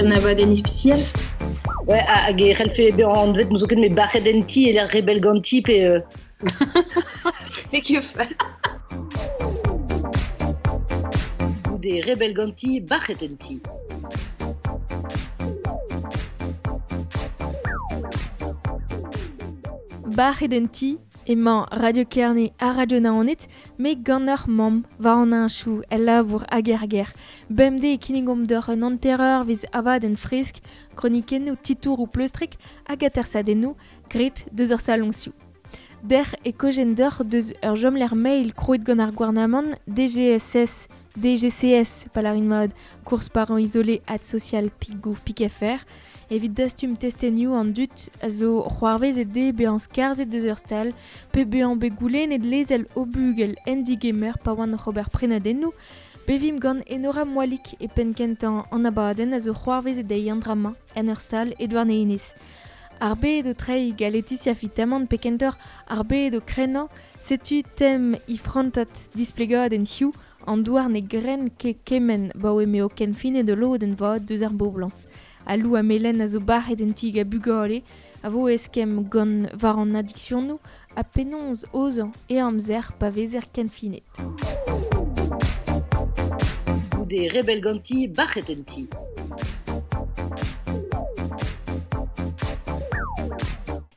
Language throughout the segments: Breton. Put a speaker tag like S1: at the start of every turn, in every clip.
S1: un abadenn ispisial.
S2: Ouais, hag e c'hellfe bezañ anvet n'ouzon ket met bac'het en ti e lec'h rebell ganti pe
S1: N'eo ket fall.
S2: Goude rebell ganti, bac'het en ti.
S3: Bac'het en ti emañ Radio Kerne ha Radio Naoned, met gant ur mamm war an heñchoù, el labour hag er gêr. Bemdez e kinnigomp deoc'h un hanter-eurvezh abadenn fresk, kronikennoù, titouroù pleustrek hag atersadennoù graet deus ur saloñsioù. Dec'h e kaojen deoc'h deus ur chomlec'h mail krouet gant ar gouarnamant DGSS, DGCS, pa lârin mat, course parents isolés at social pik gouv pik fr, evit dastum testenioù an dud a zo c'hoarvezet dezhe bezañ skarzhet deus ur stal pe bezañ bet goulennet lezel o bugel en digemer pa oant oc'h ober prenadennoù. Bevimp gant Enora Moalik e penn-kentañ an abadenn a zo c'hoarvezet dezhi an dra-mañ en ur sal e Douarnenez. Ar bed o treiñ gant Laetitia Fitamant pe kentoc'h ar bed o krennañ, setu tem he frantad displegadenn hiziv, an douar ne gren ket kement 'baoe m'eo kenfinet ul lodenn vat deus ar boblañs. Al lou ha melen a zo bac'het en ti gant bugale a vo eskemm gant war an adiksionoù ha penaos aozañ e amzer pa vezer kenfinet.
S2: Goude rebell ganti, bac'het en ti.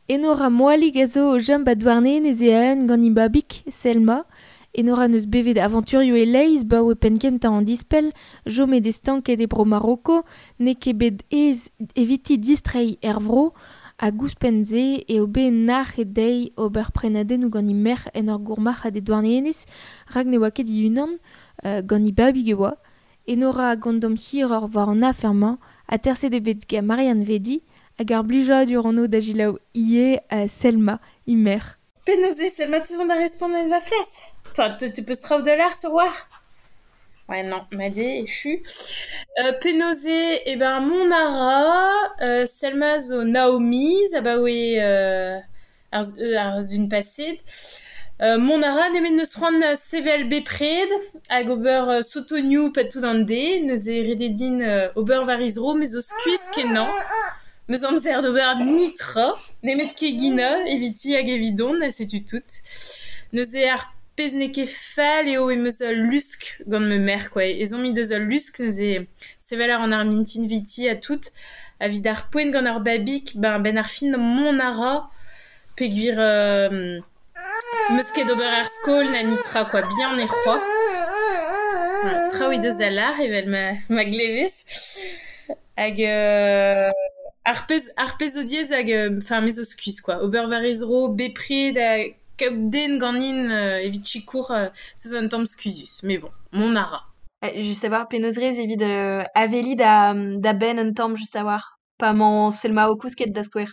S3: Enora Moalig a zo o chom 'ba Douarnenez e-eeun gant he babig, Selma. Enora 'neus bevet avanturioù e-leizh 'baoe penn-kentañ an dispell, chomet eo stanket e bro Maroko, n'eo ket bet aes eviti distreiñ er vro hag ouzhpenn-se eo bet nac'het dezhi ober prenadennoù gant he merc'h en ur gourmarc'had e Douarnenez rak ne oa ket he-unan, gant he babig e oa. Enora a gondom hiroc'h war an afer-mañ, aterset eo bet gant Marianne Vedi hag ar blijadur hon o da selaou ivez Selma, he merc'h.
S4: Penaos eo Selma te vont da respont en va flas? Enfin, te peus traoù da lâr sur war? Ouais, non, m'a dit, echu. Penaos eo, eh ben, mont a ra, Selma zo Naomi, abaoe ar sun paset. Mont a ra nemet n'eus c'hoant sevel bepred hag ober sotonioù pad tout an deiz. Neuze ret eo din ober war he zro, me zo skuizh-kenañ. 'Meus amzer d'ober netra, nemet keginañ eviti hag evidon ha setu tout. Neuze ar pezh n'eo ket fall eo em eus ul lusk gant ma merc'h kwa. Ezhomm he deus ul lusk neuze sevel a ran ar mintin 'viti ha tout. Evit ar poent gant ar babig, ben 'benn ar fin mont a ra peogwir 'meus ket d'ober ar skol na netra kwa, bihan eo c'hoazh. Traoù he deus da lâr evel ma glevez. Hag ar pezh ar pezh zo diaes hag enfin me zo skuizh kwa. Ober war he zro bepred ha kaout den ganin evit sikour se zo un tamm skuizhus. Mais bon, mont a ra.
S5: Just a-walc'h penaos rez evit aveliñ da benn un tamm just a-walc'h pa 'mañ Selma o kousket da skouer.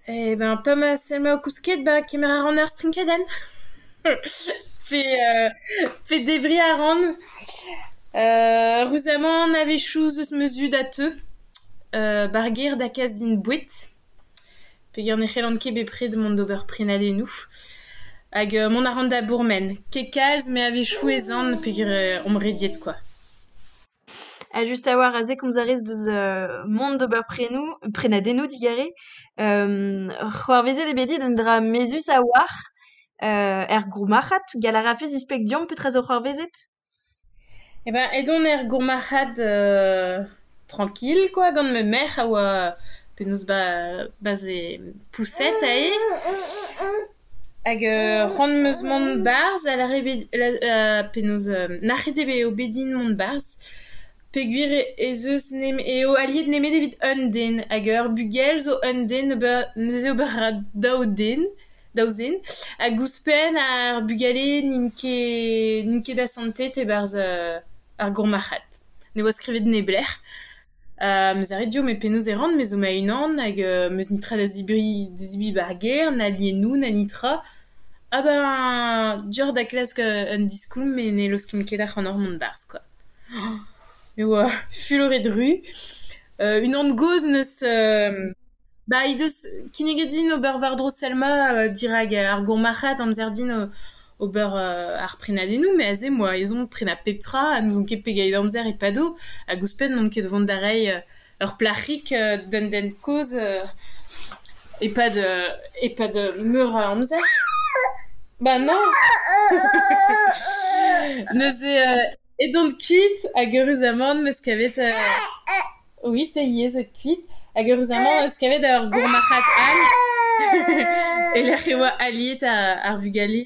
S4: Eh ben pa 'ma Selma o kousket, ben kemer a ran ur strinkadenn. Pe debriñ a ran. Ruzamant a-wechoù 'z eus ma zud a teu 'bar gêr da kas din boued peogwir ne c'hellan ket bepred mont d'ober prenadennoù. Hag mont a ran da bourmen. Ket kalz met a-wechoù ez an peogwir omp rediet kwa.
S5: Ha just a-walc'h aze komz a rez deus mont d'ober prenoù prenadennoù digarez. C'hoarvezet eo bet dit un dra mezhus a-walc'h er gourmarc'had. Gall a rafes displeg deomp petra zo c'hoarvezet?
S4: Eh ben edon er gourmarc'had tranquille quoi gant ma merc'h a oa penaos 'ba ze pouset aze. Hag c'hoant 'm eus mont 'barzh a lâre bet penaos nac'het eo bet din mont 'barzh peogwir ez eus eo aliet nemet evit un den hag ur bugel zo un den ober neuze ober a ra daou den daou zen hag ouzhpenn ar bugale n'int ket n'int ket asantet e-barzh ar gourmarc'had. Ne oa skrivet neblec'h. 'Meus lâret dio met penaos e ran, me zo ma-unan hag 'meus netra da zebriñ da zebriñ 'ba ar gêr, na lienoù na netra. Ah ben dioc'h da klask un diskoulm met ne laoskimp ket ac'hanoc'h mont 'barzh kwa. Me oa fuloret ru. Unan gozh 'neus bah he deus kinniget din ober war-dro Selma dirak ar gourmarc'had amzer din ober ar prenadennoù, met aze 'moa ezhomm prenañ pep tra ha n'ouzon ket pegeit amzer e pado hag ouzhpenn n'on ket o vont da reiñ ur plac'hig d'un den kozh e-pad e-pad meur a amzer. Bah non. Neuze edon kuit hag eüruzamant 'm eus kavet oui, te ivez zo kuit hag eüruzamant 'm eus kavet ur gourmarc'had all e-lec'h e oa aliet ar vugale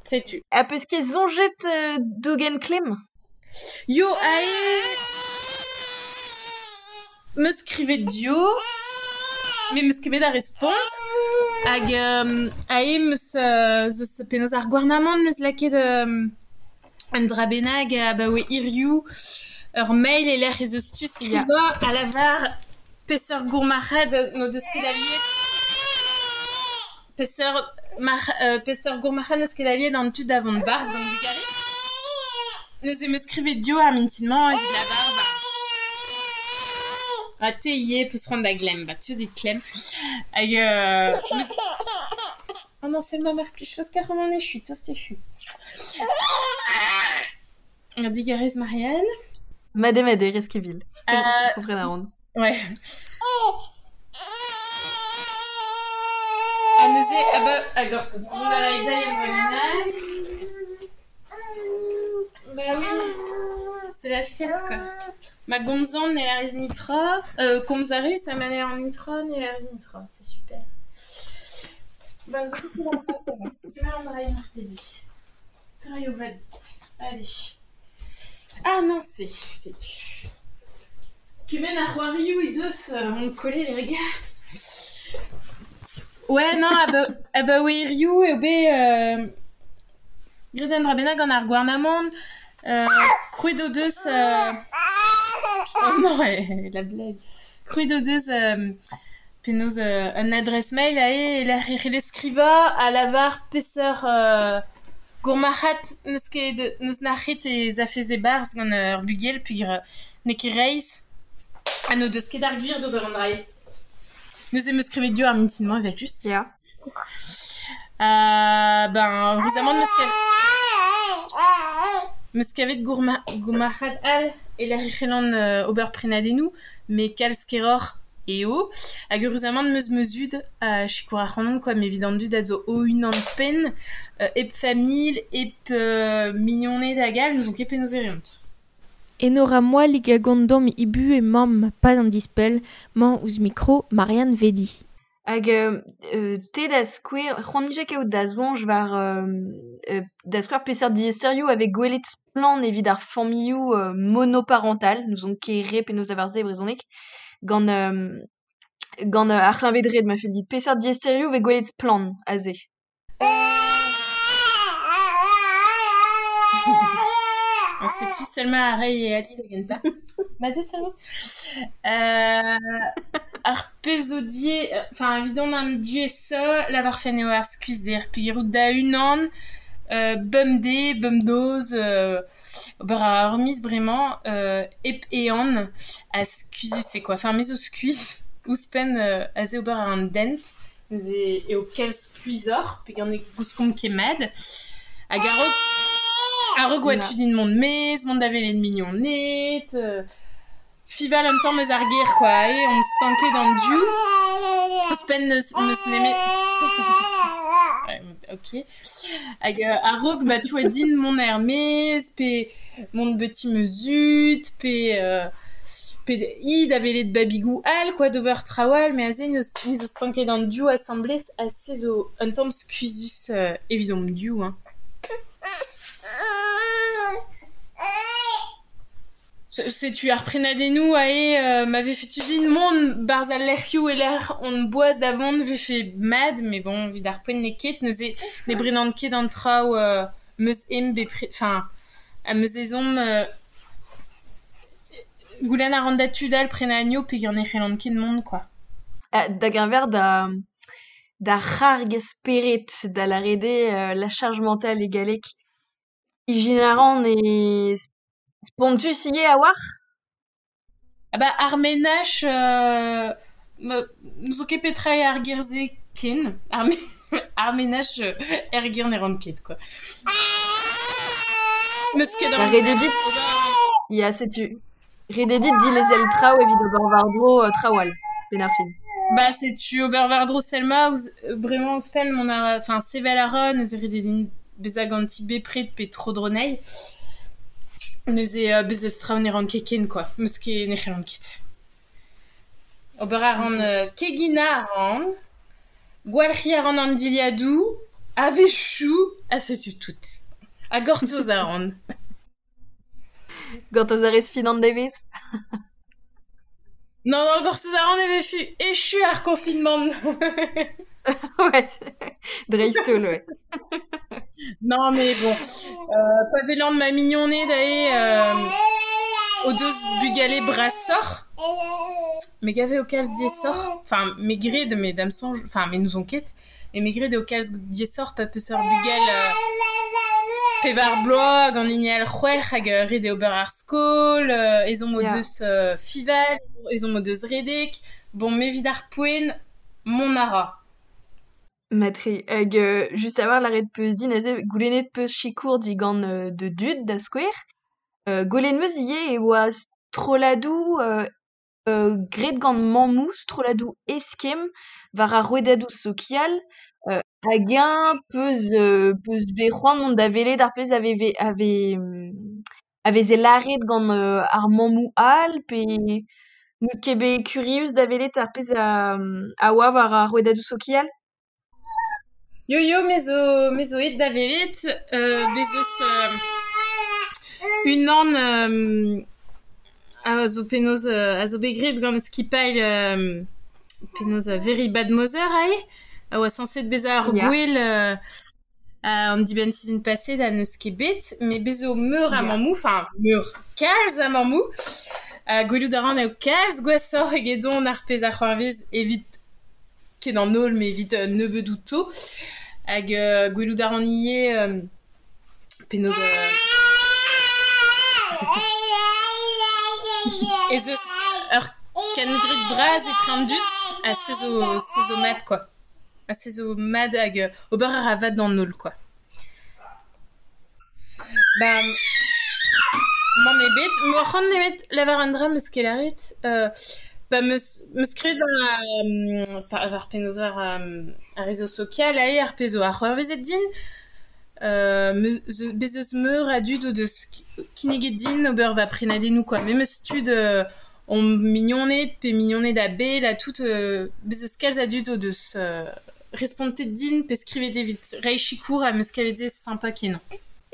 S4: setu.
S5: Ha peus ket soñjet dougen klemm?
S4: Yo, ae 'm eus skrivet dio, met 'm eus ket bet ar respont hag ae 'm eus zeus penaos ar gouarnamant 'm eus lakaet un dra bennak abaoe hiziv ur mail e-lec'h ez eus tu skrivañ a lavar peseurt gourmarc'had n'o deus ket aliet peseurt peseurt gourmarc'had n'eus ket aliet an tud da vont 'barzh gant bugale. Neuze 'm eus skrivet dio ar mintin-mañ evit lavar ba ha te ivez 'peus c'hoant da glemm, ba tu dit klemm. Hag oh non, Selma mar plij, laosk ac'hanon echu, tost echu. Digarez Marianne.
S5: Mat eo mat eo, Reskivil. Kompren a ran.
S4: Ouais. Ha neuze, ah bah, ah gortoz, mont a ray dezhi un bennak. Bah oui, c'est la fête quoi. Ma gomzan ne lârez nitra, komz a rez ha ma ne lâran nitra, ne lârez nitra, c'est super. Bah, du coup, on va marteze. Ça raio vat dit. Allez. Ah non, c'est tu. Kement a c'hoarioù he deus on kollet les gars. Ouais, non, abaoe hiziv eo bet graet un dra bennak gant ar gouarnamant. Krouet o deus... Oh non, la blague. Krouet o deus penaos un adresse mail aze e-lec'h e c'hellez skrivañ ha lavar peseurt gourmarc'had n'eus ket n'eus nac'het ez afez e-barzh gant ur bugel peogwir n'eo ket reizh ha n'o deus ket ar gwir d'ober an dra-se. Neuze 'm eus skrivet dio ar mintin-mañ evel-just.
S5: Ya.
S4: Ben eüruzamant 'm eus kavet gourmarc'had all e-lec'h e c'hellan ober prenadennoù met kalz keroc'h eo. Hag eüruzamant 'm eus ma zud a sikour ac'hanon quoi, met evit an dud a zo o-unan-penn, hep familh, hep mignoned hag all, n'ouzon ket penaos e reont.
S3: Enora Moalig a gont deomp he buhez mamm 'pad an dispell 'mañ ouzh mikro Marianne Vedi.
S5: Hag te da skouer, c'hoant 'mije kaout da soñj war da skouer peseurt diaesterioù a vez gwelet splann evit ar familhoù monoparental, n'ouzon ket re penaos lavar se e brezhoneg, gant gant ar c'hleñved-red ma fell dit. Peseurt diaesterioù vez gwelet splann aze?
S4: Setu Selma a ray e ali da gentañ. Mat eo Selma? Ar pezh zo die, enfin evidon an diaesañ lavarfen eo ar skuizhder peogwir out da-unan bemdez, bemnoz, ober a ra ur miz bremañ hep ehan ha skuizhus eo quoi. Enfin me zo skuizh ouzhpenn aze ober a ran dent neuze eo kalz skuizhoc'h peogwir ne gouskomp ket mat. Hag a-raok oa tu din mont 'maez, mont da welet mignoned, fival un tamm eus ar gêr quoi, aze on stanket an div. Ouzhpenn n'eus nemet... Ok. Hag a-raok ba tu oa din mont er-maez pe mont beti ma zud pe pe i da welet babigoù all quoi d'ober traoù all met aze ni zo stanket an div asambles ha se zo un tamm skuizhus evidomp div hein. Setu ar prenadennoù aze ma vefe tu din mont 'barzh al lec'hioù e-lec'h on boas da vont 'vefe mat met bon evit ar poent n'eo ket neuze ne brenan ket an traoù 'm eus ezhomm bepred enfin am eus ezhomm goulenn a ran da tud all prenañ anezho peogwir ne c'hellan ket mont quoi.
S5: Da geñver da c'harg spered da lâret eo la charge mentale e galleg. Ijinañ a ran e spontus ivez a-walc'h?
S4: Ah bah ar menaj n'ouzon ket petra eo ar ger-se ken, ar menaj er gir ne ran ket, quoi. Meus ket
S5: Ba, ret eo dit, ya, setu. Ret eo dit dilezel traoù evit ober war-dro traoù all, 'benn ar fin.
S4: Ba, setu ober war-dro Selma ouzh bremañ ouzhpenn mont a enfin sevel a ra, neuze ret eo din bezañ ganti bepred pe tro-dro anezhi. Neuze bez' eus traoù ne ran ket ken quoi, 'meus ket ne c'hellan ket. Ober a ran keginañ a ran, gwalc'hiñ a ran an dilhadoù, a-wechoù, ha setu tout. Ha gortoz a ran.
S5: Gortoz a rez fin an devezh ?
S4: Non, non, gortoz a ran e vefe echu ar confinement.
S5: Ouais, dreist-holl, ouais.
S4: Non, mais bon, pa welan ma mignoned aze o deus bugale brasoc'h, me gav eo kalz diaesoc'h, enfin me gred met da'm soñj, enfin me n'ouzon ket, met me gred eo kalz diaesoc'h pa 'peus ur bugel pevar bloaz gant hini all c'hwec'h hag ret eo ober ar skol, ezhomm o deus fiñval, ezhomm o deus redek, bon me evit ar poent, mont a ra.
S5: Mat-tre. Hag just a-walc'h lâret 'peus din aze goulennet 'peus sikour digant da dud da skouer. Gwelet 'm eus ivez e oa strolladoù graet gant mammoù, strolladoù eskemm war ar rouedadoù sokial. Hag-eñ 'peus 'peus bet c'hoant mont da welet ar pezh a veve a vez a veze lâret gant ar mammoù all pe n'out ket bet kurius da welet ar pezh a oa war ar rouedadoù sokial ?
S4: Yo yo, me zo me zo aet da welet bez eus unan a zo penaos a zo bet graet gant skipailh penaos Very Bad Mother aze a oa sañset bezañ ar gouel an dibenn-sizhun paset ha n'eus ket bet met bez zo meur a mammoù, enfin meur, kalz a mammoù. Gwelout a ran eo kalz gwashoc'h egedon ar pezh a c'hoarvez evit ket an holl met evit nebeut outo. Hag gwelout a ran ivez penaos ez eus ur kengred bras etre an dud ha se zo se zo mat quoi. Ha se zo mat hag ober a ra vat d'an holl quoi. Ba mann ebet. M'oc'h c'hoant nemet lavar un dra 'm eus ket lâret. Ba 'm eus 'm eus skrivet war war penaos war ar réseau sokial aze ar pezh zo a c'hoarvezet din. Bez' eus meur a dud o deus kinniget din ober va prenadennoù quoi. Memes tud omp mignoned pe mignoned a-bell ha tout bez' eus kalz a dud o deus respontet din pe skrivet evit reiñ sikour ha 'm eus kavet se sympa-kenañ.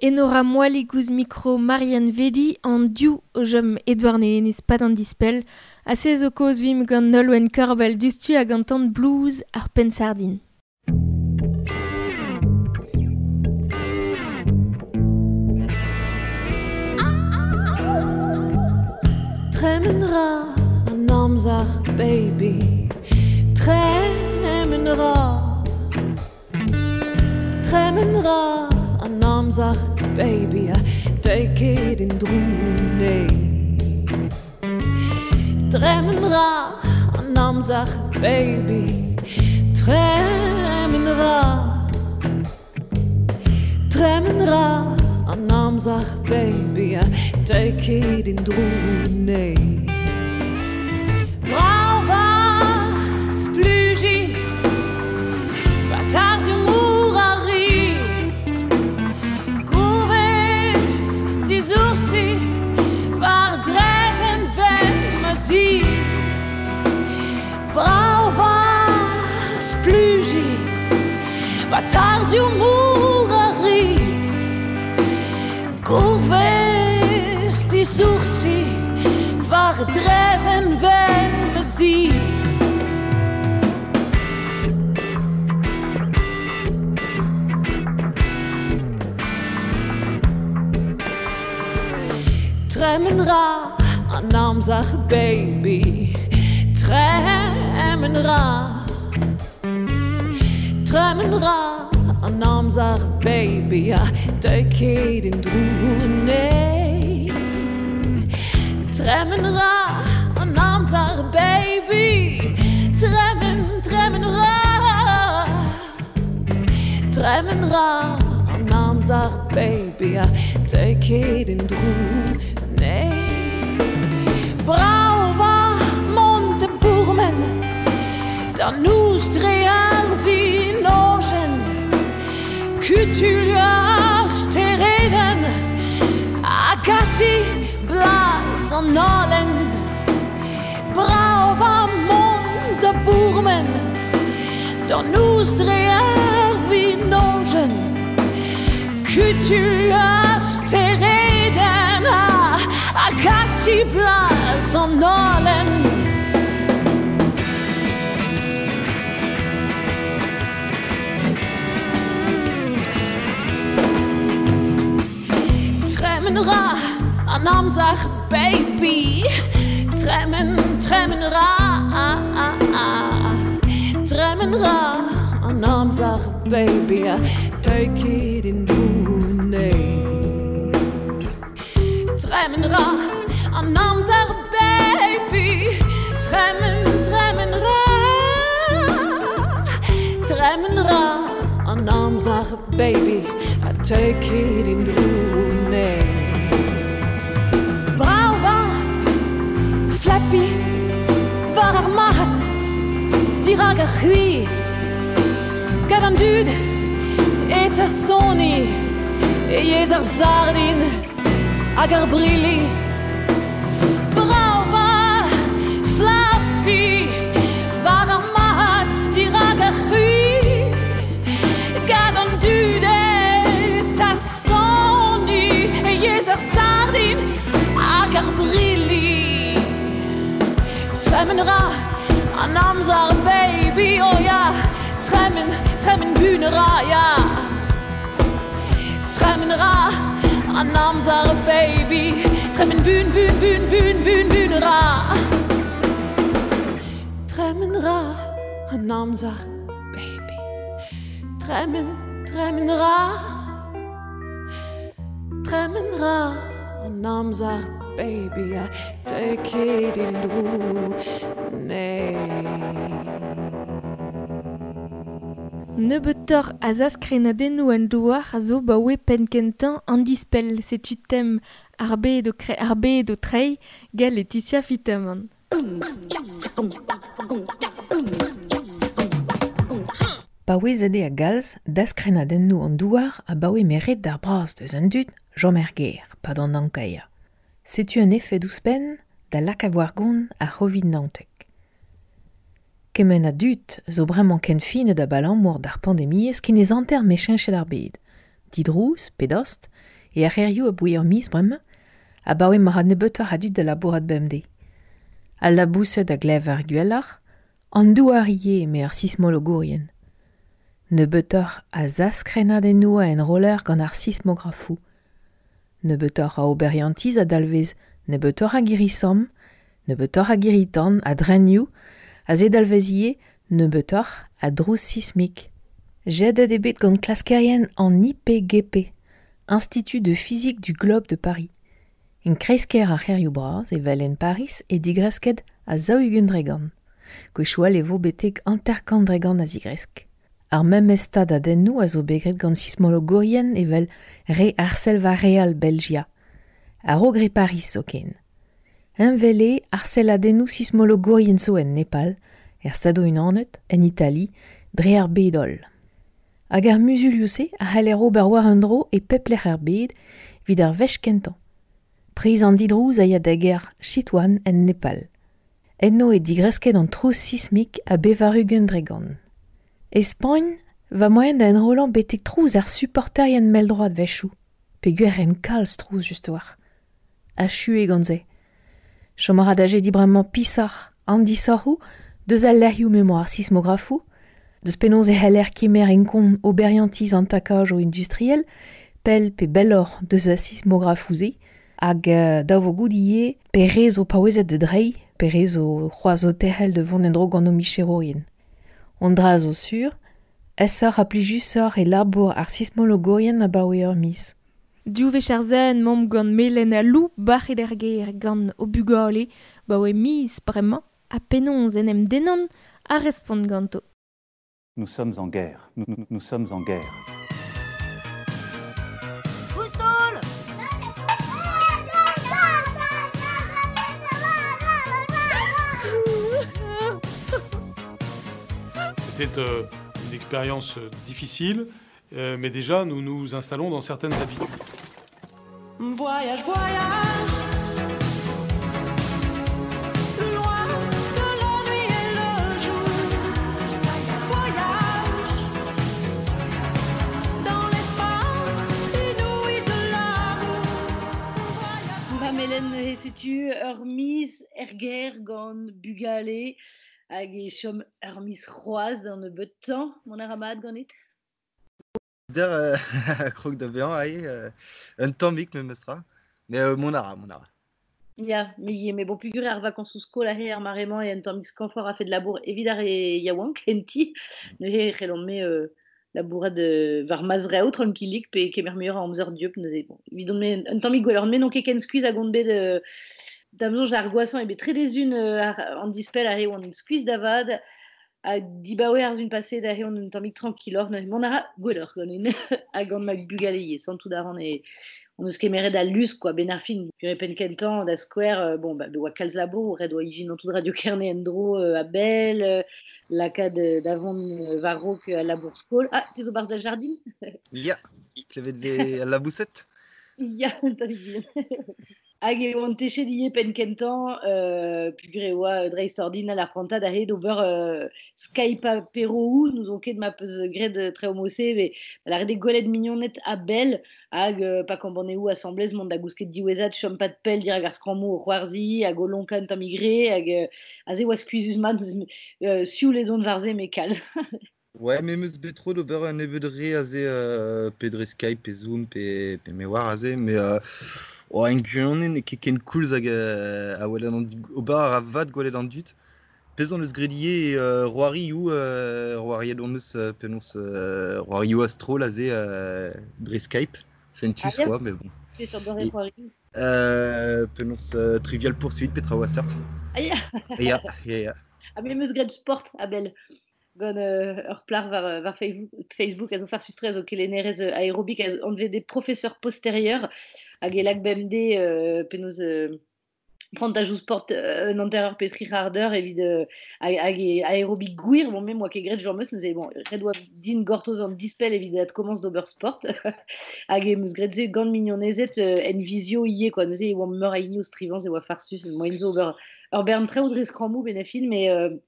S3: Enora Moalig ouzh mikro Marianne Vedi an div o chom e Douarnenez 'pad an dispell ha se zo kaoz 'vimp gant Nolwenn Korbell diouzhtu hag an tan blues ar penn-sardin.
S6: Tremen 'ra an amzer baby Tremen 'ra Tremen 'ra an amzer baby ha deuit ket en-dro nee Tremen 'ra an amzer baby Tremen 'ra Tremen 'ra an amzer baby ha deuit ket en-dro nee Bravañ splujiñ 'ba tarzhioù mor a ri Gourvez disoursi war draezhenn wenn ma zi Bravañ splujiñ 'ba tarzhioù mor a ri Gourvez disoursi war draezhenn wenn ma zi Tremen 'ra an amzer baby Tremen 'ra Tremen 'ra an amzer baby ha deuit ket en-dro nee Tremen 'ra an amzer baby Tremen, tremen 'ra Tremen ra an amzer baby a Take in dro ne Brava mont de bourmen Da nouz dre ar vinojen Kutul ar stereden Agati blas an alen Brava mont de bourmen Da nouz dre ar vinojen Kutul ar stereden Agati blas an alen Tremen ra an amzer baby Tremen, tremen ra Tremen ra an amzer baby Take it in dune Tremen ra an amzer baby Tremen, tremen ra Tremen ra an amzer baby I take it in dune Brava Flappy war ar mahat Dirag ar c'hui Gant an dud et a soni E yez ar sardin hag ar brilli Brava Flappy war ar mahat Dirag ar c'hui Gant an dud et a soni E yez ar sardin hag ar brilli Tremen ra an amzer baby oh ja Tremen, tremen bune ra ja Tremen ra an amzer baby Tremen bun, bun, bun, bun, bun, bun ra Tremen ra an amzer baby Tremen, tremen ra Tremen ra an amzer baby a Take it in dro ne
S3: Nebeutoc'h a zaskrenadennoù an douar a zo baoe penn-kentañ an dispell setu tem ar bed o kre ar bed o treiñ gant Laetitia Fitamant.
S7: Paouezet eo a galz daskrenadennoù an douar a baoe meret d'ar bras deus an dud Jean Merger, pad an ankaia. Setu un effet ouzhpenn da lak a war gont ar Covid-19. Kement a dud zo bremañ ken finet da balamour d'ar pandemiezh ken ez anter mecheñchet ar bed. Didrouz, pedost, e ar c'hêrioù a bouez ur miz bremañ, a baoe ma ra nebeutoc'h a dud da labourat bemdez. Al laboused a glev ar gwelloc'h, an douar ivez eme ar sismologourien. Nebeutoc'h a zaskrenadennoù a enroller gant ar sismografoù. Nebeutoc'h a oberiantiz a dalvez nebeutoc'h a girri-samm, nebeutoc'h a girri-tan, a drenioù, a ze dalvez ivez nebeutoc'h a drouz sismik. Jedet eo bet gant klaskerien an IPGP, Institut de physique du globe de Paris. En kreiz-kêr ar c'hêrioù bras evel en Paris e digresket a 40 dregant. Gwechall e vo betek 50 dregant a zigresk. Ar memes stad a dennoù a zo bet graet gant sismologourien evel re Arselva Real Belgia. A-raok re Paris zoken. Heñvel eo arselladennoù sismologourien zo en Nepal, er Stadoù-Unanet, en Itali, dre ar bed holl. Hag ar muzulioù-se a c'haller ober war un dro e pep lec'h ar bed evit ar wech kentañ. Priz an didrouz a ya da gêr Chitwan en Nepal. Enno e digresket an trouz sismik a 80 dregant. E Spagn va moaien da enrollañ betek trouz ar supporterien mell-droad wechoù, peogwir en kalz trouz just war. Achu eo gant se. Chom a ra da jediñ bremañ pisoc'h an disoc'hoù deus al lec'hioù m'emañ ar sismografoù, deus penaos e c'heller kemer en kont oberiantiz an takajoù industriel, pell pe belloc'h deus ar sismografoù-se, hag dav vo goût ivez pe re zo paouezet da dreiñ, pe re zo c'hoazh o terc'hel da vont en-dro gant o micherourien. An dra zo sur, aesoc'h ha plijusoc'h e labour ar sismologourien abaoe ur miz.
S3: Div wech ar zen mamm gant Melen ha Lou bac'het er gêr gant o bugale baoe miz bremañ ha penaos en em dennan a respont ganto.
S8: Nous sommes en guerre. Nous, nous, nous sommes en guerre. C'était une expérience difficile, mais déjà nous nous installons dans certaines habitudes.
S6: Voyage, voyage, loin de la nuit et le jour. Voyage dans l'espace inouï de l'amour.
S2: Ma melen setu ur miz erger gant bugale hag e chom ur miz c'hoazh d'an nebeut tamm, mon ar amad ganit?
S9: Der krog da vezañ ae, un tammig memestra, mais mon ara, mon ara.
S2: Ya, mais bon, pugur ar vacances skol ahe ar maremañ e un tammig skanfor a fait de labour evit ar e yaouank enti, neuze c'hellomp me labourat war mazreo tranquillik pe kemer muioc'h a amzer dieub neuze. Bon, evidon me un tammig gwelloc'h, me n'on ket ken skuizh hag on bet d'am soñj ar gwasañ eo bet tre dezun an dispell ahe oan skuizh da vat, ha dibaoe ar zun paset ahe on un tammig tranquilloc'h, neuze mont a ra gwelloc'h ganin hag gant ma bugale ivez, santout a ran e on eus kemeret al lusk quoi, ben ar fin, pure pen kentañ da skouer, bon, ba, oa kalz labour, ret oa ijin an tout Radio Kerne en-dro a bell, lakaat davont war-raok a labour skol. Ah, te zo barzh da jardin?
S9: Ya, klevet ve al labouset?
S2: Ya, tammig bihan. Hag e oan techet ivez penn kentañ, pugur e oa dreist ordinal ar prantad ahe d'ober Skype apéro n'ouzon ket ma peus graet tre homose, met la ret eo gwelet mignoned a bell, hag pa kambaneoù asamblez mont da gousket diwezhat chom pat pell dirak ar skrammoù o c'hoarzhiñ, hag o lonkañ un tammig re, hag aze oa skuizhus mat, sioul edon war-se me kalz.
S9: Ouais, me meus bet tro d'ober un nebeud re aze pe dre Skype, pe Zoom, pe me war aze, mais oh, en gwirionez n'eo ket ken koulz hag a welet an ober ar vat gwelet an dud. Pezh on eus graet ivez roarioù, roariet on eus penaos roarioù a-stroll aze dre Skype, fentus
S2: Ah, ya.
S9: oa, mais bon.
S2: Peseurt doare
S9: Et
S2: c'hoarioù?
S9: Penaos Trivial Pursuit, petra oa seurt.
S2: Ah, ya.
S9: Ya, ya, ya.
S2: Ha me meus graet sport a-bell gant ur plac'h war Facebook a zo farsus tre a zo kelennerez aérobik a zo anvet des professeurs postérieurs hag e lak bemdez penaos prantajoù sport un hanter eur pe tri c'hard eur evit hag e aérobik gwir, bon, me moa ket graet james, neuze bon, ret oa din gortoz an dispell evit adkomañs d'ober sport hag e meus graet se gant mignonezed en visio ivez quoi, neuze e oamp meur a hini o strivañ, se oa farsus, moaien zo ober ur bern traoù dre skrammoù ben a fin, mais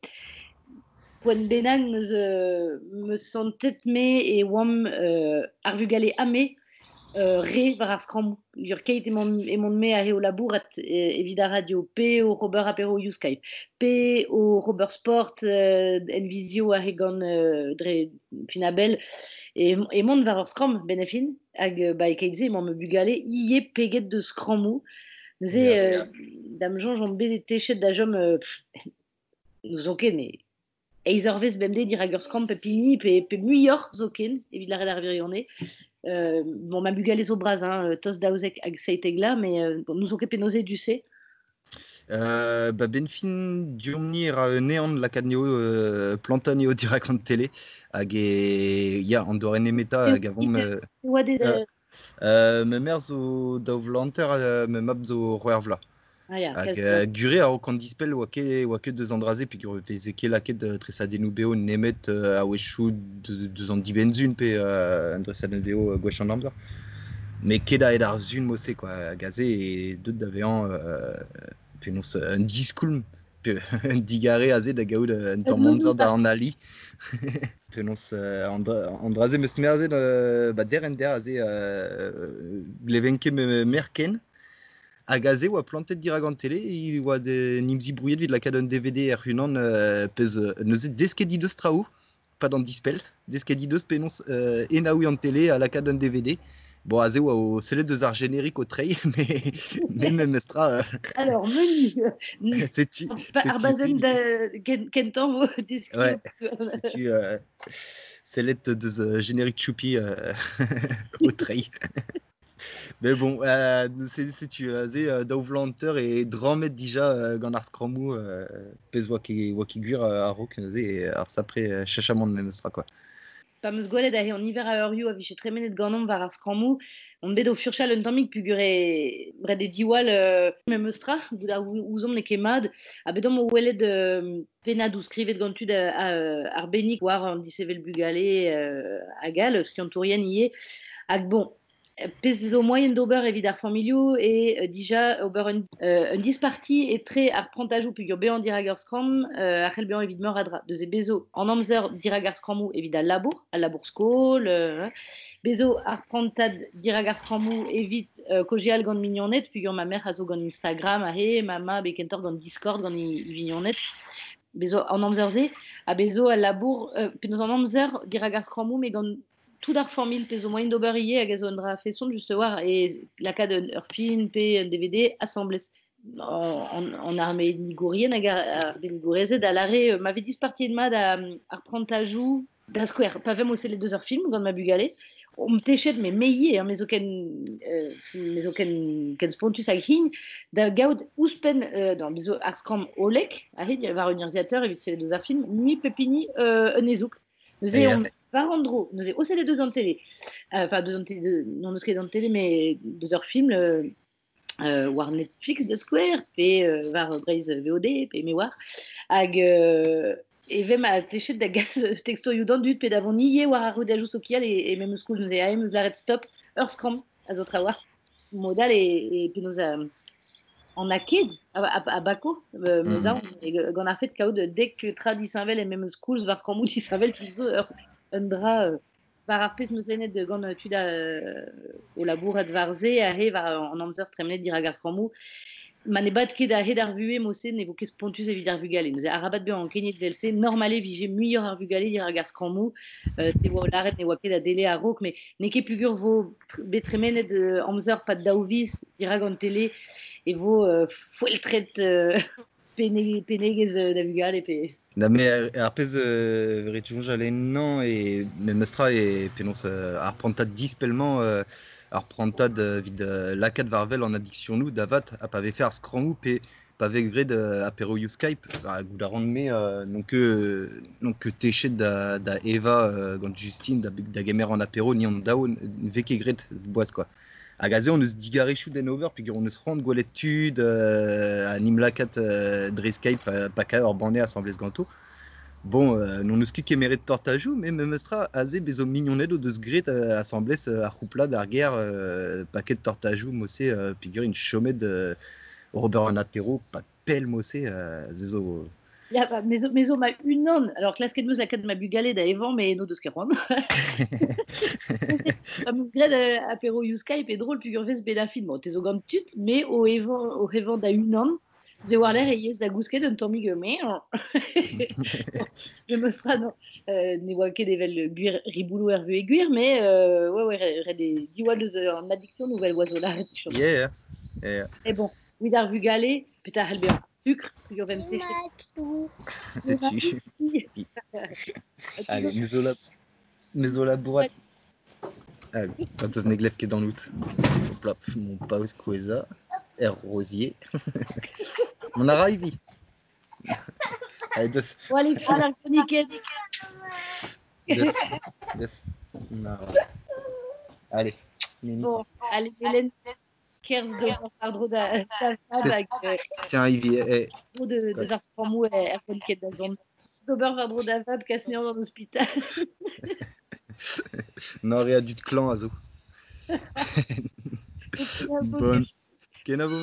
S2: poent bennak meus santet me e oamp ar vugale ame re war ar skrammoù. Ur keit emaon me aze o labourat evit ar radio, pe o Robert apéro you Skype, pe o Robert Sport en visio aze gant dre Finabel, emaon war ur skramm ben a fin, hag ba e keit-se emaon me bugale ivez peget deus skrammoù. Neuze, da'm soñj on bet techet da chom n'ouzon ket, mais eizh eurvezh bemdez dirak ur skramm pep hini, pe muioc'h zoken, evit lâret ar wirionez. Bon, ma bugale zo bras, hein, tost daouzek hag seitek la, mais bon, n'ouzon ket penaos eo du-se.
S9: Ba ben fin diomp-ni e ra un ehan lakaat neo plantañ neo dirak an tele, hag e, ya, an doare nemetañ hag avomp,
S2: Oa det,
S9: ma mère zo daou vloaz hanter, ma mab zo c'hwec'h vloaz.
S2: Ah ya,
S9: Hag,
S2: kalz
S9: gure a-raok an dispell oa ket deus an dra-se, peogwir veze ket lakaet tresadennoù beo nemet a-wechoù deus an dibenn-sun pe un dresadenn beo gwech an amzer. Mais ket aet ar sun mod-se, quoi. Hag aze e deut da vezañ penaos un diskoulm, pe un digare aze da gaout un tamm amzer da analiñ. Penaos an dra-se meus merzet ba der en der aze gleven ket me merk ken. Hag aze oa plantet dirak an tele, e oa de nimzi brouillet evit lakaat un DVD er unan pezh neuze desket he deus traoù, pas d'an dispell, desket he deus penaos enaouiñ an tele ha lakaat un DVD. Bon, aze oa o sellet deus ar générique o treiñ, mais memestra
S2: Alors, menu.
S9: Setu,
S2: Ar
S9: setu
S2: bazenn
S9: sid.
S2: da kentañ vo deskiñ.
S9: Ouais, setu sellet deus générique Choupi o treiñ. Mais bon, setu aze daou vloaz hanter e drammet dija gant ar skrammoù pezh oa ket gwir a-raok neuze ar sapre chachamant memestra, quoi.
S2: Pa meus gwelet ahe an niver a eurioù a vije tremenet ganeomp war ar skrammoù, on bet o furchal un tammig pugur e ret e diwall memes tra, goût ar ouzomp n'eo ket mat, ha bet omp o welet pennadoù skrivet gant tud arbennik war an disevel bugale hag all, skiantourien ivez, hag bon, pezh zo moaien d'ober evit ar familhoù e dija ober un disparti etre ar prantajoù pugur bezañ dirak ur skramm a c'hell bezañ evit meur a dra. Deus e bezo an amzer dirak ar skrammoù evit al labour skol, bezo ar prantad dirak ar skrammoù evit kaozeal gant mignoned pugur ma merc'h a zo gant Instagram aze, ma mab e kentoc'h gant Discord gant e vignoned. Bezo an amzer-se ha bezo al labour penaos an amzer dirak ar skrammoù met gant tout ar familh pe zo moaien d'ober ivez hag a zo un dra feson just war e lakaat ur film pe un DVD asambles an arbennigourien hag ar arbennigourezed a lâre ma vez dispartiet mat ar prantajoù da skouer pa vemp o sellet deus ur film gant ma bugale omp techet me ivez hein, me zo ken spontus hag hin da gaout ouzhpenn dans bezo ar skramm hollek aze war un urzhiateur evit sellet deus ar film mui pep hini un hezoug. Neuze on war an dro, neuze o sellet deus an tele, enfin deus an tele, non eus ket an tele, mais deus ur film war Netflix da skouer, pe war Breizh VOD, pe me war, hag e vem a techet da gas textoioù d'an dud, pe da vont ivez war ar rouedajoù sokial e memes koulz neuze ae meus lâret stop, ur skramm a zo trawalc'h. Modal e penaos an aked a bako, meus aon, gant ar fet kaout dek tra disheñvel e memes koulz war skrammoù disheñvel tout zo un dra war ar pezh meus lennet gant tud o labourat war se aze war an amzer tremenet dirak ar skrammoù. Ma ne bad ket a-hed ar vuhez mo-se ne vo ket spontus evit ar vugale. Neuze arabat bezañ ankeniet vel-se, normal e vije muioc'h ar vugale dirak ar skrammoù, te oa o lâret ne oa ket a dele a-raok, met n'eo ket pugur vo bet tremenet amzer pad daou viz dirak an tele e vo foeltret penegezh da vugale pe...
S9: Na me ar pezh veret soñjal ennañ e memes tra e penaos ar prantad dispell-mañ ar prantad evit lakaat war wel an addiksionoù da vat ha pa vefe ar skrammoù pe pa vez graet aperoioù Skype goût a ran me n'on ket techet da evañ gant Justine da gemer an apero ni an daou ne vez ket graet boaz quoi. Hag aze on eus digarezhioù d'en ober peogwir on eus c'hoant gwelet tud ha nim lakaat dre Skype pakañ ur banne asambles ganto. Bon, n'on eus ket kemeret tortajoù, met memes tra aze bezo mignoned o deus graet asambles ar c'houplad ar gêr paket tortajoù mo-se peogwir int chomet ober an apero pa pell mo-se se zo...
S2: Ya, ba, me zo ma unan. Alors, klasket meus lakaat ma bugale da evañ, mais no deus ket c'hoant. Pa meus graet apero you Skype e drôle pugur vez bet a fin. Bon, te zo gant tud, mais o evañ da unan. Ze war l'air e yez da gousket un tammig mais je me sera non ne oa ket evel gwir riboulou er vuhez gwir, mais ouais ret e diwall deus an addiction nouvelle oa zo lâret.
S9: Yeah, yeah.
S2: Et bon, evit ar vugale, petra c'hell bezañ sucre, pugur vem techet.
S9: Setu. Allez, me zo labourat. Ah, quand eus ne glev ket an out. Hop là, mon paoz kouezhañ. Er Rosier. On a arrivé. Allez, deux.
S2: Bon, allez, prends la chronique.
S9: Deux. Allez.
S2: Bon, allez, Hélène. Kerz de Pardro da da
S9: Tiens, Ivy.
S2: De de Arspramou et er chronique da zone. D'ober Vardro da Vab, Kasnean dans l'hôpital.
S9: Non, rien du clan, Azo. Bonne. Kenavo.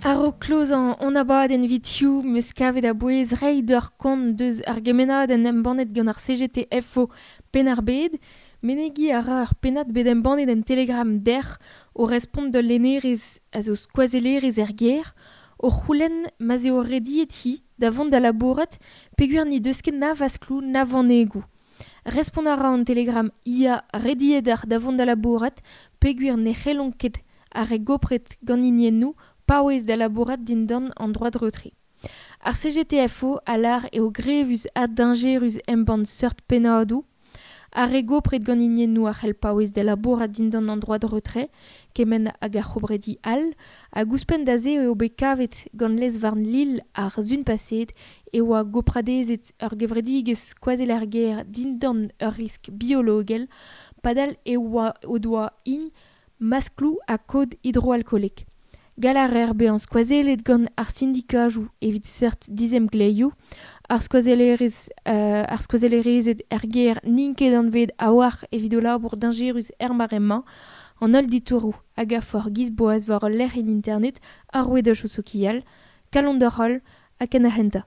S3: Ar kloz an abadenn evit-hiziv meus kavet a-bouez reiñ d'ur kont deus ar gemennadenn embannet gant ar CGT-FO Penn-ar-Bed. Menegiñ a ra ur pennad bet embannet en Telegram dec'h o respont d'ul lennerez a zo skoazellerez er gêr o c'houlenn ma'z eo rediet hi da vont da labourat peogwir n'he deus ket na vaskloù na vanegoù. Respont a ra an Telegram ia rediet ar da vont da labourat peogwir ne c'hellont ket ar re gopret gant hiniennoù paouez da labourat dindan an droit de retrait. Ar CGTFO a lar eo grevus ha dañjerus embann seurt pennadoù, ar re gopret gant hiniennoù a c'hell paouez da labourat dindan an droad retrait, kement hag ar c'hobredi all, hag ouzhpenn da se eo bet kavet gant lez-varn Lille ar sun paseet e oa gopradezet ur gevredigezh skoazell ar gêr dindan ur risk biologel, padal e oa o doa int maskloù ha kod hidroalkoolek. Gall a reer bezañ skoazellet gant ar sindikajoù evit seurt dizemgleioù, ar skoazellerez ar skoazellerezed er gêr n'int ket anvet a-walc'h evit o labour dañjerus er mare-mañ, an holl ditouroù hag a for giz boaz war ul lec'hienn internet ar rouedajoù sokial, kalon d'ur holl ha ken ar c'hentañ.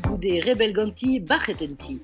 S2: Goude rebel ganti, bac'het en ti.